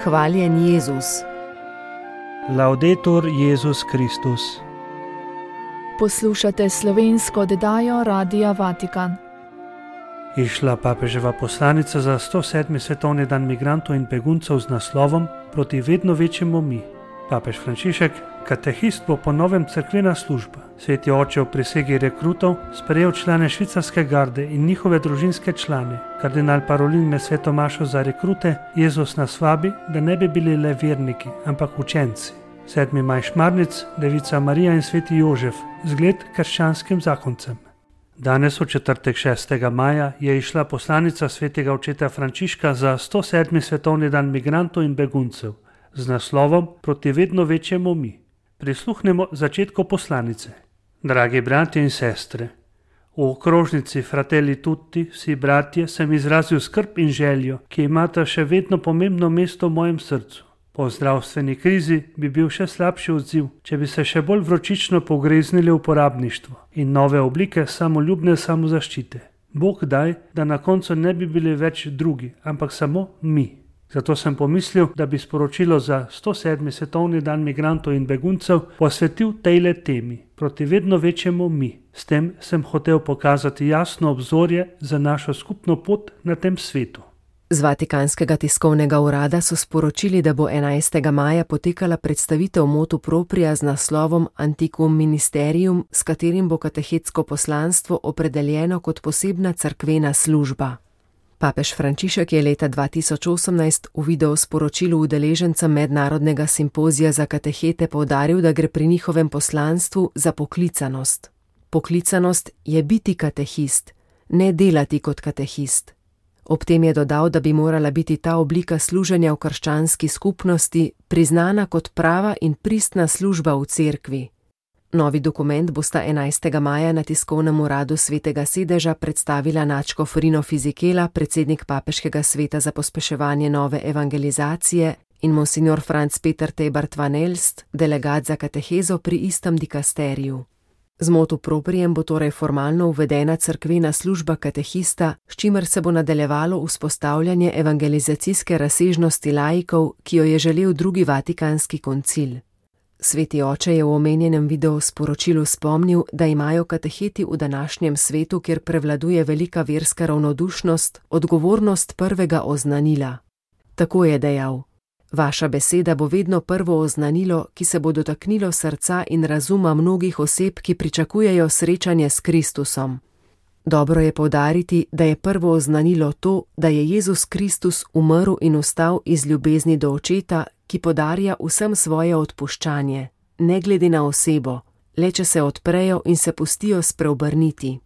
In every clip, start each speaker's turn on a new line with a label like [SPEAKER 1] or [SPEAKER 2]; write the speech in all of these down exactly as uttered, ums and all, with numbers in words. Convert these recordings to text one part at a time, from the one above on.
[SPEAKER 1] Hvaljen Jezus.
[SPEAKER 2] Laudetur Jezus Kristus.
[SPEAKER 3] Poslušate slovensko oddajo Radia Vatikan.
[SPEAKER 2] Išla papeževa poslanica za sto sedmi svetovni dan migrantov in beguncev z naslovom Proti vedno večjemu mi. Papež Frančišek, katehist, bo po novem cerkvena služba. Sveti oče v prisegi rekrutov sprejel člane švicarske garde in njihove družinske člane. Kardinal Parolin med sveto mašo za rekrute Jezus nas vabi, da ne bi bili le verniki, ampak učenci. Sedmi maj Šmarnic, Devica Marija in sveti Jožef, zgled krščanskim zakoncem. Danes v četrtek šestega maja je išla poslanica svetega očeta Frančiška za sto sedmi svetovni dan migrantov in beguncev z naslovom Proti vedno večjemu mi. Prisluhnemo začetku poslanice. Dragi bratje in sestre, v okrožnici Fratelli Tutti, vsi bratje, sem izrazil skrb in željo, ki imata še vedno pomembno mesto v mojem srcu. Po zdravstveni krizi bi bil še slabši odziv, če bi se še bolj vročično pogreznili v uporabništvo in nove oblike samoljubne samozaščite. Bog daj, da na koncu ne bi bili več drugi, ampak samo mi. Zato sem pomislil, da bi sporočilo za sto sedmi svetovni dan migrantov in beguncev posvetil tejle temi, proti vedno večjemu mi. S tem sem hotel pokazati jasno obzorje za našo skupno pot na tem svetu.
[SPEAKER 1] Z Vatikanskega tiskovnega urada so sporočili, da bo enajstega maja potekala predstavitev motu propria z naslovom Antiquum Ministerium, s katerim bo katehetsko poslanstvo opredeljeno kot posebna cerkvena služba. Papež Frančišek je leta dva tisoč osemnajst v video sporočilu udeležencem mednarodnega simpozija za katehete poudaril, da gre pri njihovem poslanstvu za poklicanost. Poklicanost je biti katehist, ne delati kot katehist. Ob tem je dodal, da bi morala biti ta oblika služenja v krščanski skupnosti priznana kot prava in pristna služba v cerkvi. Novi dokument bosta enajstega maja na tiskovnem uradu Svetega sedeža predstavila nadškof Rino Fisichella, predsednik Papeškega sveta za pospeševanje nove evangelizacije, in monsignor Franz Peter Tebart van Elst, delegat za katehezo pri istem dikasteriju. Z motu proprijem bo torej formalno uvedena cerkvena služba katehista, s čimer se bo nadaljevalo vzpostavljanje evangelizacijske razsežnosti laikov, ki jo je želel drugi Vatikanski koncil. Sveti oče je v omenjenem videu sporočilu spomnil, da imajo kateheti v današnjem svetu, kjer prevladuje velika verska ravnodušnost, odgovornost prvega oznanila. Tako je dejal: Vaša beseda bo vedno prvo oznanilo, ki se bo dotaknilo srca in razuma mnogih oseb, ki pričakujejo srečanje s Kristusom. Dobro je poudariti, da je prvo oznanilo to, da je Jezus Kristus umrl in vstal iz ljubezni do Očeta, ki podarja vsem svoje odpuščanje, ne glede na osebo, le če se odprejo in se pustijo spreobrniti.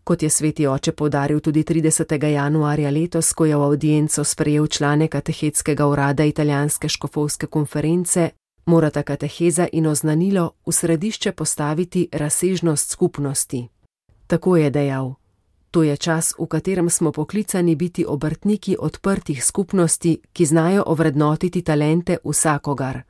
[SPEAKER 1] Kot je sveti oče poudaril tudi tridesetega januarja letos, ko je v avdienco sprejel člane katehetskega urada italijanske škofovske konference, morata kateheza in oznanilo v središče postaviti razsežnost skupnosti. Tako je dejal: To je čas, v katerem smo poklicani biti obrtniki odprtih skupnosti, ki znajo ovrednotiti talente vsakogar.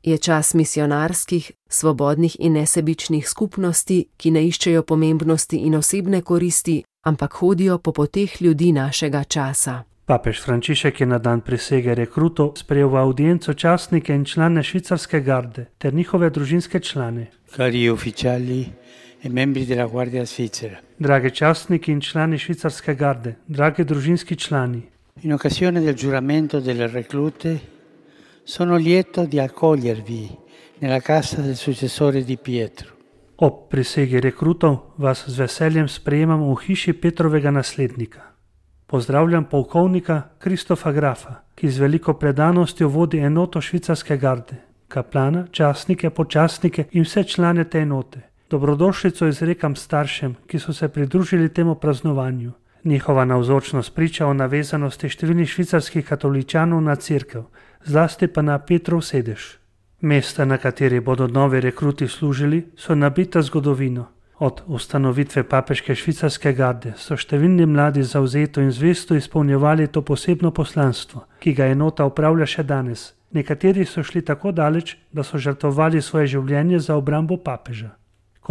[SPEAKER 1] Je čas misionarskih, svobodnih in nesebičnih skupnosti, ki ne iščejo pomembnosti in osebne koristi, ampak hodijo po poteh ljudi našega časa.
[SPEAKER 2] Papež Frančišek je na dan prisege rekrutov sprejel v avdienco častnike in člane švicarske garde ter njihove družinske člane.
[SPEAKER 4] Cari ufficiali e membri della Guardia Svizzera.
[SPEAKER 2] Dragi častniki in člani švicarske garde, dragi družinski člani.
[SPEAKER 4] In occasione del giuramento delle reclute sono lieto di accogliervi nella casa del successore di Pietro.
[SPEAKER 2] Ob prisegi rekrutov vas z veseljem sprejemam v hiši Petrovega naslednika. Pozdravljam polkovnika Kristofa Grafa, ki z veliko predanostjo vodi enoto švicarske garde, kaplana, častnike, počastnike in vse člane te enote. Dobrodošlico izrekam staršem, ki so se pridružili temu praznovanju. Njihova navzočnost priča o navezanosti številnih švicarskih katoličanov na cerkev, zlasti pa na Petrov sedež. Mesta, na kateri bodo novi rekruti služili, so nabita zgodovino. Od ustanovitve papeške švicarske garde so številni mladi zavzeto in zvesto izpolnjevali to posebno poslanstvo, ki ga enota opravlja še danes. Nekateri so šli tako daleč, da so žrtvovali svoje življenje za obrambo papeža.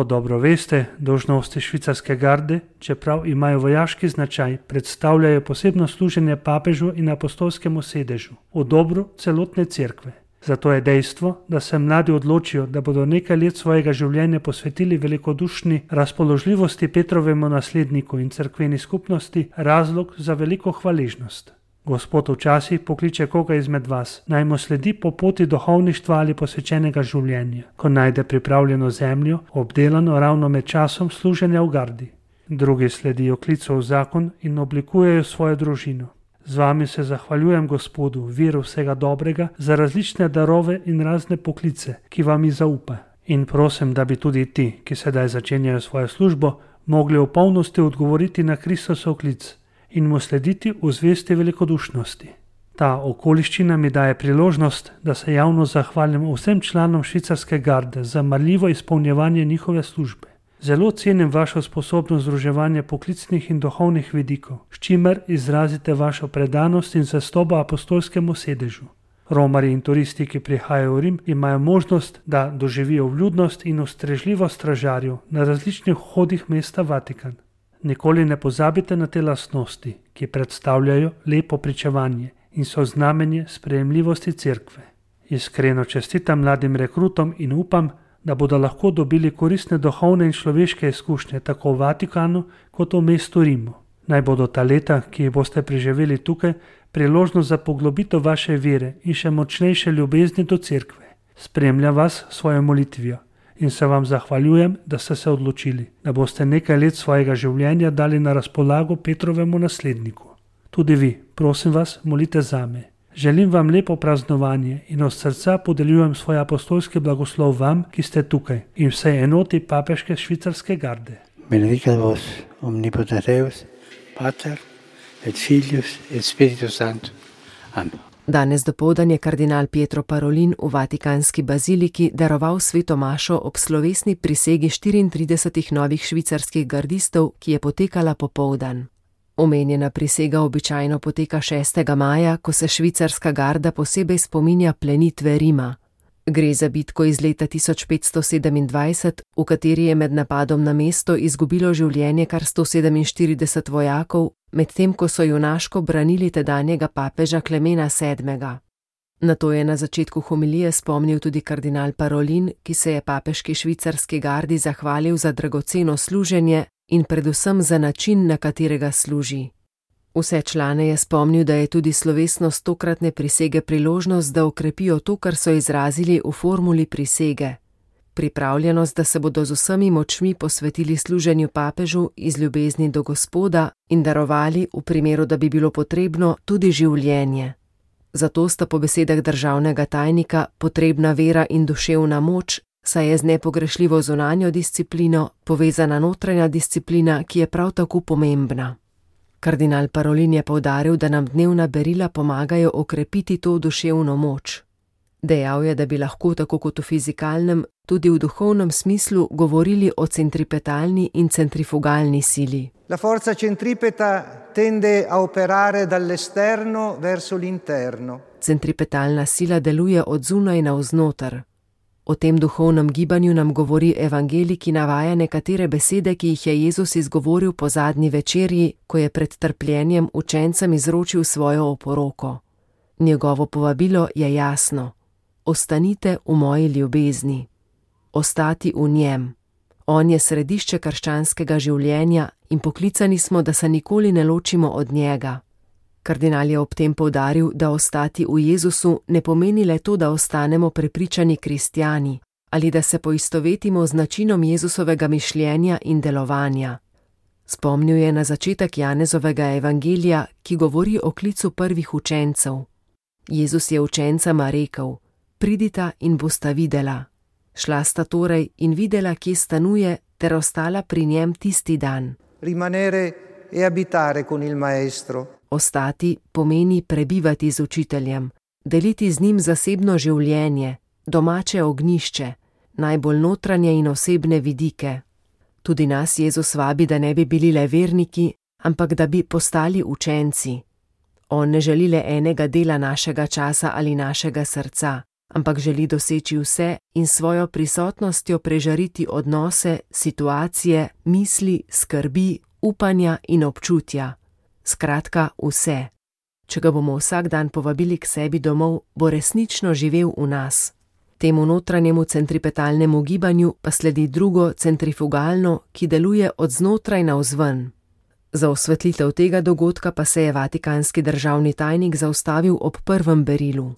[SPEAKER 2] Kot dobro veste, dolžnosti švicarske garde, čeprav imajo vojaški značaj, predstavljajo posebno služenje papežu in apostolskemu sedežu, v dobru celotne cerkve. Zato je dejstvo, da se mladi odločijo, da bodo nekaj let svojega življenja posvetili velikodušni razpoložljivosti Petrovemu nasledniku in cerkveni skupnosti, razlog za veliko hvaležnost. Gospod včasih pokliče koga izmed vas, naj mu sledi po poti duhovništva ali posvečenega življenja, ko najde pripravljeno zemljo, obdelano ravno med časom služenja v gardi. Drugi sledijo klicu v zakon in oblikujejo svojo družino. Z vami se zahvaljujem Gospodu, viru vsega dobrega, za različne darove in razne poklice, ki vam jih zaupa. In prosim, da bi tudi ti, ki sedaj začenjajo svojo službo, mogli v polnosti odgovoriti na Kristosov klic in mu slediti v zvesti velikodušnosti. Ta okoliščina mi daje priložnost, da se javno zahvalim vsem članom švicarske garde za marljivo izpolnjevanje njihove službe. Zelo cenim vašo sposobnost združevanja poklicnih in duhovnih vidikov, s čimer izrazite vašo predanost in zvestobo apostolskemu sedežu. Romarji in turisti, ki prihajajo v Rim, imajo možnost, da doživijo vljudnost in ustrežljivost stražarjev na različnih vhodih mesta Vatikan. Nikoli ne pozabite na te lastnosti, ki predstavljajo lepo pričevanje in so znamenje sprejemljivosti cerkve. Iskreno čestitam mladim rekrutom in upam, da bodo lahko dobili koristne duhovne in človeške izkušnje tako v Vatikanu kot v mestu Rimu. Naj bodo ta leta, ki jih boste preživeli tukaj, priložnost za poglobitev vaše vere in še močnejše ljubezni do cerkve. Spremljam vas s svojo molitvijo in se vam zahvaljujem, da ste se odločili, da boste nekaj let svojega življenja dali na razpolago Petrovemu nasledniku. Tudi vi, prosim vas, molite zame. Želim vam lepo praznovanje in od srca podeljujem svoj apostolski blagoslov vam, ki ste tukaj, in vsej enoti papeške švicarske garde.
[SPEAKER 4] Benedicat vos omnipotens Deus, Pater et Filius et Spiritus Sanctus. Amen.
[SPEAKER 1] Danes dopoldan je kardinal Pietro Parolin v Vatikanski baziliki daroval sveto mašo ob slovesni prisegi štiriintridesetih novih švicarskih gardistov, ki je potekala popoldan. Omenjena prisega običajno poteka šestega maja, ko se švicarska garda posebej spominja plenitve Rima. Gre za bitko iz leta tisoč petsto sedemindvajset, v kateri je med napadom na mesto izgubilo življenje kar sto sedeminštirideset vojakov, medtem ko so junaško branili tedanjega papeža Klemena sedmega. Na to je na začetku homilije spomnil tudi kardinal Parolin, ki se je papeški švicarski gardi zahvalil za dragoceno služenje in predvsem za način, na katerega služi. Vse člane je spomnil, da je tudi slovesnost tokratne prisege priložnost, da okrepijo to, kar so izrazili v formuli prisege. Pripravljenost, da se bodo z vsemi močmi posvetili služenju papežu iz ljubezni do Gospoda in darovali, v primeru, da bi bilo potrebno, tudi življenje. Zato sta po besedah državnega tajnika potrebna vera in duševna moč, saj je z nepogrešljivo zunanjo disciplino povezana notranja disciplina, ki je prav tako pomembna. Kardinal Parolin je poudaril, da nam dnevna berila pomagajo okrepiti to duševno moč. Dejal je, da bi lahko tako kot v fizikalnem, tudi v duhovnem smislu govorili o centripetalni in centrifugalni sili.
[SPEAKER 5] La forza centripeta tende a operare dall'esterno verso l'interno.
[SPEAKER 1] Centripetalna sila deluje od zunaj navznoter. O tem duhovnem gibanju nam govori evangelij, ki navaja nekatere besede, ki jih je Jezus izgovoril po zadnji večerji, ko je pred trpljenjem učencem izročil svojo oporoko. Njegovo povabilo je jasno: ostanite v moji ljubezni. Ostati v njem. On je središče krščanskega življenja in poklicani smo, da se nikoli ne ločimo od njega. Kardinal je ob tem poudaril, da ostati v Jezusu ne pomeni le to, da ostanemo prepričani kristjani ali da se poistovetimo z načinom Jezusovega mišljenja in delovanja. Spomnil je na začetek Janezovega evangelija, ki govori o klicu prvih učencev. Jezus je učencama rekel: pridita in bosta videla. Šla sta torej in videla, kje stanuje, ter ostala pri njem tisti dan.
[SPEAKER 5] Rimanere e abitare con il maestro.
[SPEAKER 1] Ostati pomeni prebivati z učiteljem, deliti z njim zasebno življenje, domače ognjišče, najbolj notranje in osebne vidike. Tudi nas Jezus vabi, da ne bi bili le verniki, ampak da bi postali učenci. On ne želi le enega dela našega časa ali našega srca, ampak želi doseči vse in svojo prisotnostjo prežariti odnose, situacije, misli, skrbi, upanja in občutja. Skratka, vse. Če ga bomo vsak dan povabili k sebi domov, bo resnično živel v nas. Temu notranjemu centripetalnemu gibanju pa sledi drugo centrifugalno, ki deluje od znotraj navzven. Za osvetlitev tega dogodka pa se je vatikanski državni tajnik zaustavil ob prvem berilu.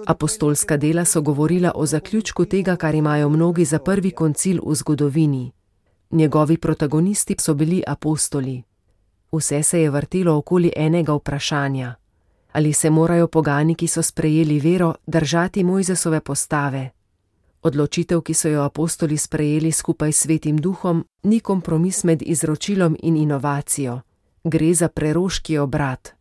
[SPEAKER 1] Apostolska dela so govorila o zaključku tega, kar imajo mnogi za prvi koncil v zgodovini. Njegovi protagonisti so bili apostoli. Vse se je vrtelo okoli enega vprašanja. Ali se morajo pogani, ki so sprejeli vero, držati Mojzesove postave? Odločitev, ki so jo apostoli sprejeli skupaj s Svetim Duhom, ni kompromis med izročilom in inovacijo. Gre za preroški obrat.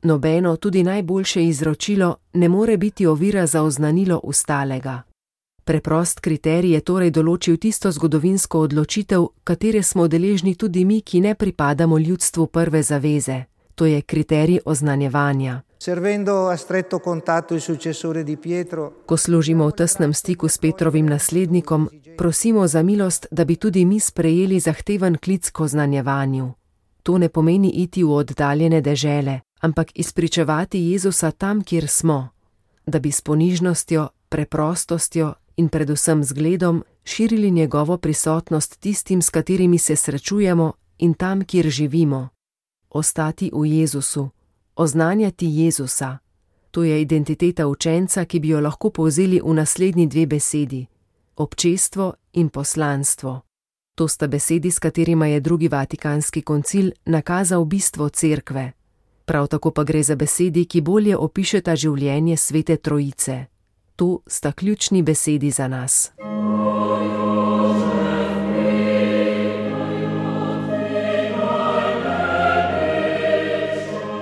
[SPEAKER 1] Nobeno, tudi najboljše izročilo, ne more biti ovira za oznanilo ustalega. Preprost kriterij je torej določil tisto zgodovinsko odločitev, katere smo deležni tudi mi, ki ne pripadamo ljudstvu prve zaveze. To je kriterij oznanjevanja. Ko služimo v tesnem stiku s Petrovim naslednikom, prosimo za milost, da bi tudi mi sprejeli zahteven klic k oznanjevanju. To ne pomeni iti v oddaljene dežele, ampak izpričevati Jezusa tam, kjer smo, da bi s ponižnostjo, preprostostjo in predvsem zgledom širili njegovo prisotnost tistim, s katerimi se srečujemo in tam, kjer živimo. Ostati v Jezusu, oznanjati Jezusa. To je identiteta učenca, ki bi jo lahko povzeli v naslednji dve besedi: občestvo in poslanstvo. To sta besedi, s katerima je drugi vatikanski koncil nakazal bistvo cerkve. Prav tako pa gre za besedi, ki bolje opišeta življenje Svete Trojice. To sta ključni besedi za nas.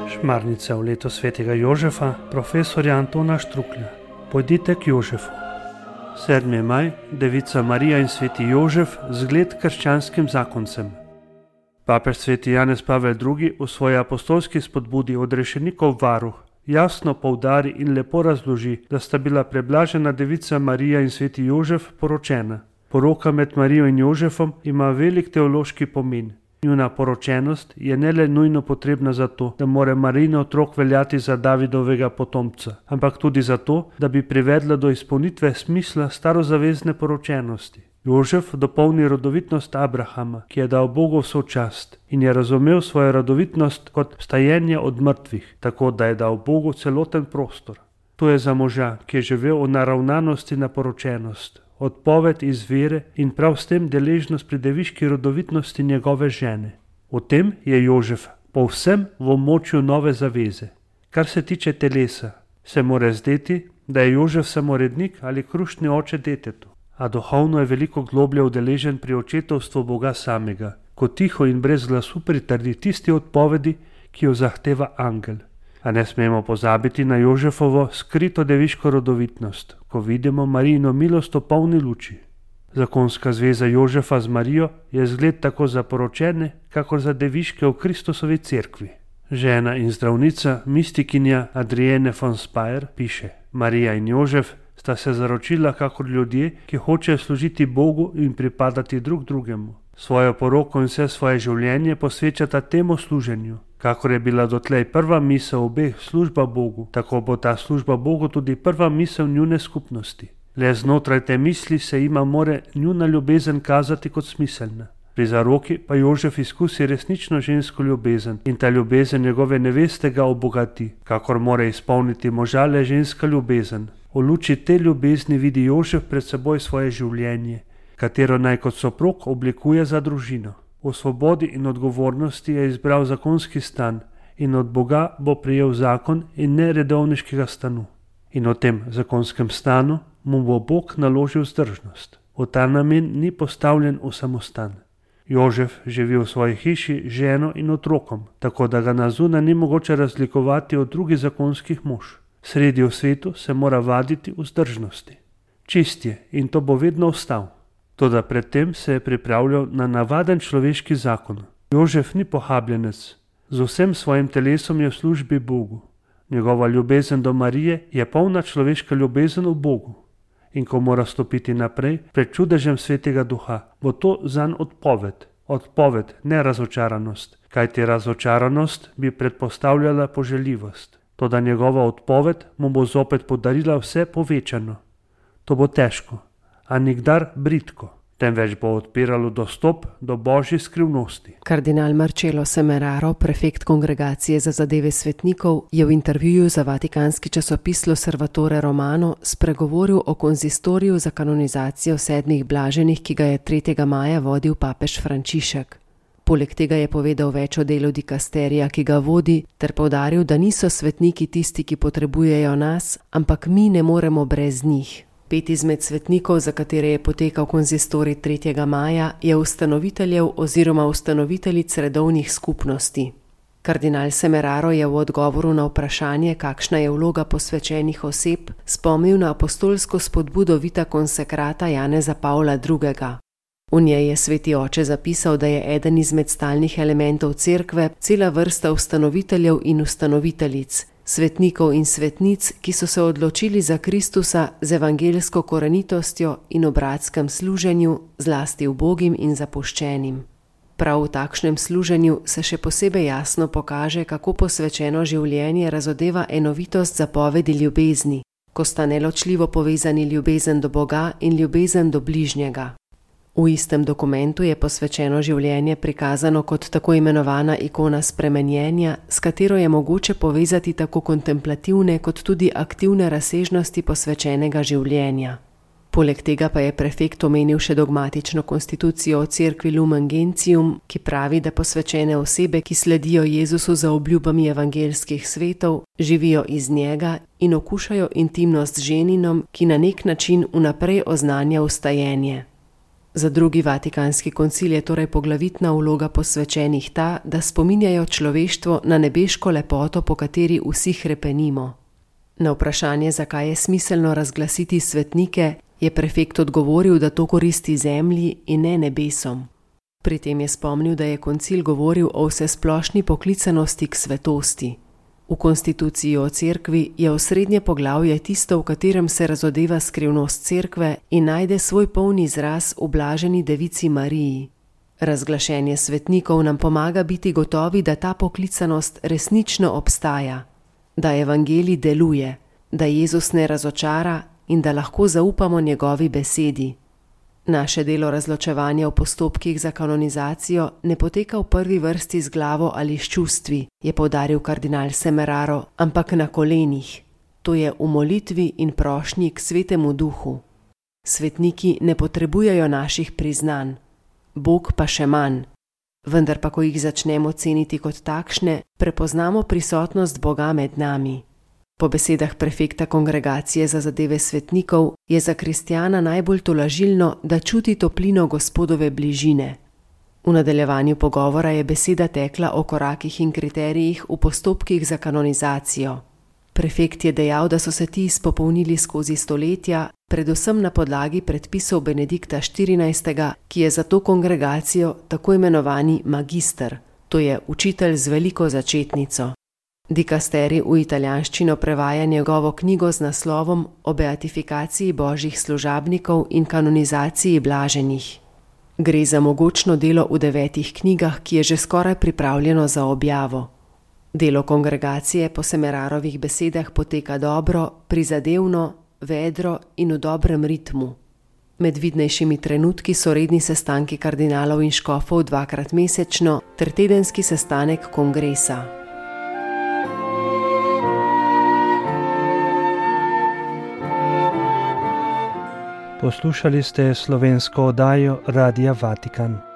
[SPEAKER 2] Šmarnica v leto svetega Jožefa, profesorja Antona Štruklja. Pojdite k Jožefu. sedmi maj, Devica Marija in sveti Jožef, zgled krščanskim zakoncem. Papež sveti Janez Pavel drugi v svoji apostolski spodbudi odrešenikov varuh jasno poudari in lepo razloži, da sta bila preblažena Devica Marija in sveti Jožef poročena. Poroka med Marijo in Jožefom ima velik teološki pomen. Njuna poročenost je ne le nujno potrebna zato, da more Marijin otrok veljati za Davidovega potomca, ampak tudi zato, da bi privedla do izpolnitve smisla starozavezne poročenosti. Jožef dopolni rodovitnost Abrahama, ki je dal Bogu vso čast in je razumel svojo rodovitnost kot vstajenje od mrtvih, tako da je dal Bogu celoten prostor. To je za moža, ki je živel v naravnanosti na poročenost, odpoved iz vere in prav s tem deležnost pri deviški rodovitnosti njegove žene. V tem je Jožef povsem v območju nove zaveze. Kar se tiče telesa, se more zdeti, da je Jožef samorednik ali krušni oče detetu, a duhovno je veliko globlje udeležen pri očetovstvu Boga samega, ko tiho in brez glasu pritrdi tisti odpovedi, ki jo zahteva angel. A ne smemo pozabiti na Jožefovo skrito deviško rodovitnost, ko vidimo Marijino milost v polni luči. Zakonska zveza Jožefa z Marijo je zgled tako za poročene, kakor za deviške v Kristusovi cerkvi. Žena in zdravnica, mistikinja Adrienne von Speyer piše: Marija in Jožef sta se zaročila kakor ljudje, ki hočejo služiti Bogu in pripadati drug drugemu. Svojo poroko in vse svoje življenje posvečata temu služenju. Kakor je bila dotlej prva misel obeh služba Bogu, tako bo ta služba Bogu tudi prva misel njune skupnosti. Le znotraj te misli se ima more njuna ljubezen kazati kot smiselna. Pri zaroki pa Jožef izkusi resnično žensko ljubezen in ta ljubezen njegove neveste ga obogati, kakor more izpolniti moža le ženska ljubezen. V luči te ljubezni vidi Jožef pred seboj svoje življenje, katero naj kot soprog oblikuje za družino. V svobodi in odgovornosti je izbral zakonski stan in od Boga bo prejel zakon in ne redovniškega stanu. In v tem zakonskem stanu mu bo Bog naložil vzdržnost. V ta namen ni postavljen v samostan. Jožef živi v svoji hiši z ženo in otrokom, tako da ga na zunaj ni mogoče razlikovati od drugih zakonskih mož. Sredi v svetu se mora vaditi vzdržnosti. Čist je in to bo vedno ostal. Toda predtem se je pripravljal na navaden človeški zakon. Jožef ni pohabljenec, z vsem svojim telesom je v službi Bogu. Njegova ljubezen do Marije je polna človeška ljubezen v Bogu. In ko mora stopiti naprej pred čudežem Svetega Duha, bo to zanj odpoved. Odpoved, ne razočaranost, kajti razočaranost bi predpostavljala poželjivost. Toda njegova odpoved mu bo zopet podarila vse povečano. To bo težko, a nikdar bridko, temveč bo odpiralo dostop do božje skrivnosti.
[SPEAKER 1] Kardinal Marcello Semeraro, prefekt Kongregacije za zadeve svetnikov, je v intervjuju za vatikanski časopis L'Osservatore Romano spregovoril o konzistoriju za kanonizacijo sedmih blaženih, ki ga je tretjega maja vodil papež Frančišek. Poleg tega je povedal več o delu dikasterija, ki ga vodi, ter poudaril, da niso svetniki tisti, ki potrebujejo nas, ampak mi ne moremo brez njih. Pet izmed svetnikov, za katere je potekal konzistorij tretjega maja, je ustanoviteljev oziroma ustanoviteljic redovnih skupnosti. Kardinal Semeraro je v odgovoru na vprašanje, kakšna je vloga posvečenih oseb, spomnil na apostolsko spodbudo Vita Consecrata Janeza Pavla drugega. V njej je sveti oče zapisal, da je eden izmed stalnih elementov cerkve cela vrsta ustanoviteljev in ustanoviteljic, svetnikov in svetnic, ki so se odločili za Kristusa z evangeljsko korenitostjo in v bratskem služenju, zlasti ubogim in zapuščenim. Prav v takšnem služenju se še posebej jasno pokaže, kako posvečeno življenje razodeva enovitost zapovedi ljubezni, ko sta neločljivo povezani ljubezen do Boga in ljubezen do bližnjega. V istem dokumentu je posvečeno življenje prikazano kot tako imenovana ikona spremenjenja, s katero je mogoče povezati tako kontemplativne kot tudi aktivne razsežnosti posvečenega življenja. Poleg tega pa je prefekt omenil še dogmatično konstitucijo o cerkvi Lumen Gentium, ki pravi, da posvečene osebe, ki sledijo Jezusu za obljubami evangeljskih svetov, živijo iz njega in okušajo intimnost z ženinom, ki na nek način vnaprej oznanja vstajenje. Za drugi vatikanski koncil je torej poglavitna vloga posvečenih ta, da spominjajo človeštvo na nebeško lepoto, po kateri vsi hrepenimo. Na vprašanje, zakaj je smiselno razglasiti svetnike, je prefekt odgovoril, da to koristi zemlji in ne nebesom. Pri tem je spomnil, da je koncil govoril o vsesplošni poklicanosti k svetosti. V konstituciji o cerkvi je osrednje poglavje tisto, v katerem se razodeva skrivnost cerkve in najde svoj polni izraz v blaženi devici Mariji. Razglašenje svetnikov nam pomaga biti gotovi, da ta poklicanost resnično obstaja, da evangelij deluje, da Jezus ne razočara in da lahko zaupamo njegovi besedi. Naše delo razločevanja v postopkih za kanonizacijo ne poteka v prvi vrsti z glavo ali s čustvi, je poudaril kardinal Semeraro, ampak na kolenih. To je v molitvi in prošnji k Svetemu Duhu. Svetniki ne potrebujejo naših priznanj, Bog pa še manj. Vendar pa, ko jih začnemo ceniti kot takšne, prepoznamo prisotnost Boga med nami. Po besedah prefekta Kongregacije za zadeve svetnikov je za kristjana najbolj tolažilno, da čuti toplino Gospodove bližine. V nadaljevanju pogovora je beseda tekla o korakih in kriterijih v postopkih za kanonizacijo. Prefekt je dejal, da so se ti izpopolnili skozi stoletja, predvsem na podlagi predpisov Benedikta štirinajstega, ki je za to kongregacijo tako imenovani magister, to je učitelj z veliko začetnico. Dikasterij v italijanščino prevaja njegovo knjigo z naslovom o beatifikaciji božjih služabnikov in kanonizaciji blaženih. Gre za mogočno delo v devetih knjigah, ki je že skoraj pripravljeno za objavo. Delo kongregacije po Semerarovih besedah poteka dobro, prizadevno, vedro in v dobrem ritmu. Med vidnejšimi trenutki so redni sestanki kardinalov in škofov dvakrat mesečno ter tedenski sestanek kongresa.
[SPEAKER 2] Poslušali ste slovensko oddajo Radia Vatikan.